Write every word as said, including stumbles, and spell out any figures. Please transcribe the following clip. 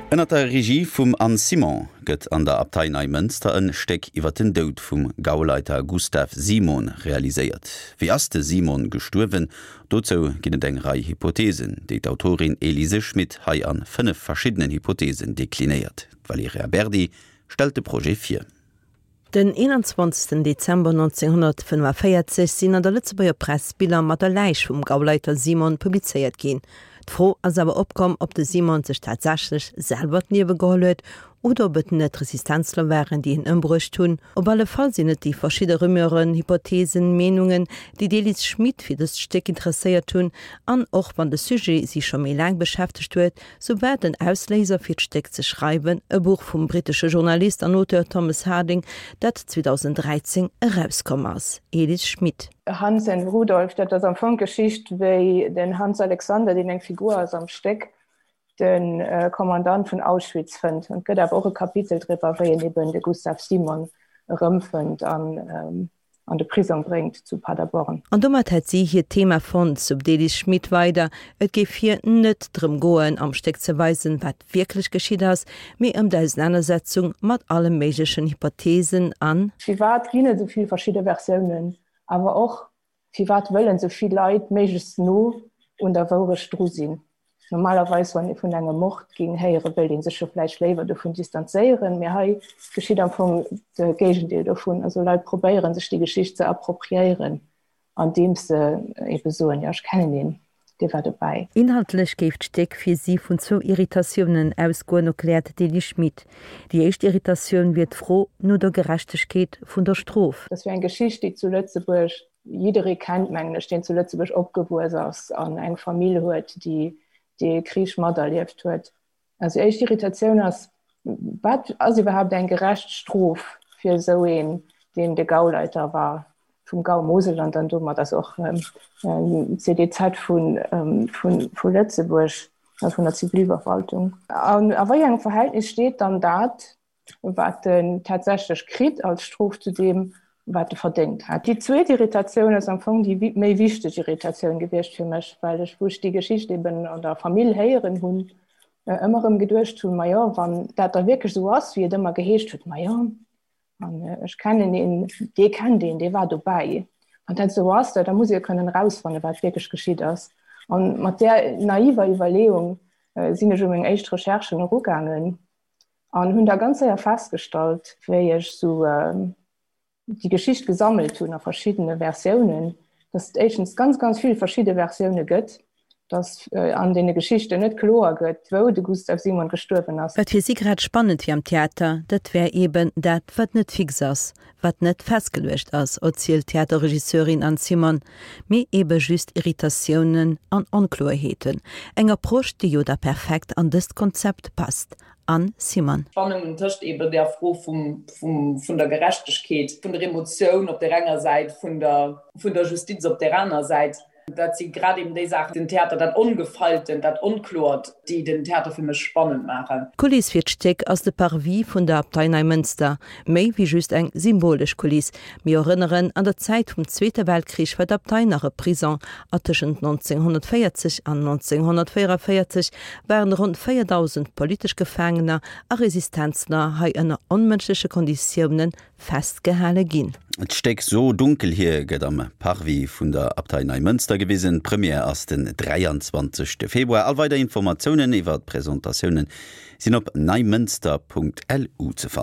Ënner der Regie vum Anne Simon gëtt an der Abtei Neimënster en Stéck iwwer den Doud vum Gauleiter Gustav Simon realiséiert. Wéi ass de Simon gestuerwen? Dozou ginn et eng Rei Hypotheesen, déi d'Autorin Elise Schmit hei an fënnef verschiddenen Hypotheesen deklinéiert. D'Valerija Berdi stellt de Projet vir. Den eenanzwanzegsten Dezember nonzénghonnertfënnefaféierzeg sinn an der Lëtzebuerger Press Biller mat der Läich vum Gauleiter Simon publizéiert ginn. D'Fro ass awer opkomm, ob de Simon sech tatsächlech selwer d'Liewe geholl huet oder ob et net Resistenzler waren, déi hien ëmbruecht hunn. Op alle Fall sinn et déi verschidde Rumeuren, Hypotheesen, Meenungen, déi d'Elise Schmit fir dëst Stéck interesséiert hunn. An och wann de Sujet si scho méi laang beschäftegt huet, sou war den Ausléiser fir d'Stéck ze schreiwen e Buch vum brittesche Journalist an Auteur Thomas Harding, dat zweedausenddräizéng erauskomm ass. Elise Schmit. Hans and Rudolf, dat ass am Fong d'Geschicht, wéi den Hans Alexander, deen eng Figur ass am Stéck, de Kommandant vun Auschwitz fënnt. An et gëtt awer och e Kapitel driwwer, wéi en eben de Gustav Simon erëmfënnt an an de Prisong bréngt zu Paderborn. An domat hätt si hiert Thema fonnt, sou d'Elise Schmit weider. Et géif hir net drëm goen, am Stéck ze weisen, wat wierklech geschitt ass, mee ëm d'Ausenanersetzung mat alle méiglechen Hypotheesen an. Firwat ginn et esou vill verschidde Versiounen? Awer och, firwat wëllen esou vill Leit méiglechst no un der Wourecht dru sinn? Normalerweis, wann ee vun engem Mord géing héieren, wéilt ee sech jo vläicht léiwer dovun distanzéieren, mee hei geschitt am Fong de Géigendeel dovun. Also Leit probéieren, sech déi Geschicht ze appropriéieren, andeems se ebe soen, jo, ech kennen een, dee war dobäi. Inhaltlech géif d'Stéck fir si vun zwou Irritatiounen ausgoen, erkläert d'Elie Schmit. Déi éischt Irritatioun wier d'Fro no der Gerechtegkeet vun der Strof. Dat wier eng Geschicht, déi zu Lëtzebuerg jidderee kennt, mengen ech, deen zu Lëtzebuerg opgewuess ass an eng Famill huet, déi dee Krich materlieft huet. Also éischt Irritatioun ass, Wat ass iwwerhaapt eng gerecht Strof fir esou een, deen de Gauleiter war vum Gau Moselland an domat ass och d'CDZ vu Lëtzebuerg, also vun der Zivilverwaltung? An a wéi engem Verhältnis steet dann dat, wat en tatsächlech kritt als Strof zu deem, wat e verdéngt hat. Déi zweet Irritatioun ass am Fong déi méi wichteg Irritatioun gewiescht fir mech, well ech, wou ech déi Geschicht eben an der Famill héieren hunn, ëmmer erëm geduecht hunn, Majo, wann dat da wierklech esou ass, wéi et ëmmer geheescht huet, majo, an ech kennen een, dee kennt een, dee war dobäi, wann dat esou ass, da muss ee jo kënnen erausfannen, wat wierklech geschitt ass. An mat där naiver Iwwerleeung sinn ech u meng éischt Recherchen erugaangen an hunn da ganz séier festgestallt, wéi ech esou déi Geschicht gesammelt hunn a verschiddene Versiounen, dass et éischtens ganz, ganz vill verschidde Versioune gëtt, dass an deene Geschichten net kloer gëtt, wou de Gustav Simon gestuerwen ass. Wat fir si grad spannend wier am Theater, dat wär eeben dat, wat net fix ass, wat net festgeluecht ass, erzielt d'Theaterregisseurin Anne Simon, mee eebe just Irritatiounen an Onkloerheeten. Eng Approche, déi jo da perfekt an dëst Konzept passt. Anne Simon. Spannungen tëscht eben der Fro vum, vum, vun der Gerechtegkeet, vun der Emotioun op där enger Säit, vun der, vun der Justiz op där aner Säit. Dat si grad eben déi Saachen, den Theater, dat Ongefeiltent, dat Onkloert, déi den Theater fir mech spannend maachen. D'Kuliss fir d'Stéck ass de Parvis vun der Abtei Neimënster. Méi wéi just eng symbolesch Kuliss. Mir erënneren, An der Zäit vum Zweete Weltkrich war d'Abtei nach e Prison a tëschent nonzénghonnertvéierzeg an nonzénghonnertvéierunvéierzeg waren ronn véierdausend politesch Gefaangener a Resistenzler hei ënner onmënschleche Konditioune festgehale ginn. D'Stéck So dunkel hier gëtt am Parvis vun der Abtei Neimënster gewisen. D'Première ass den dräianzwanzegste Februar. All weider Informatiounen iwwer d'Presentatioune sinn op neimënster Punkt lu ze fannen.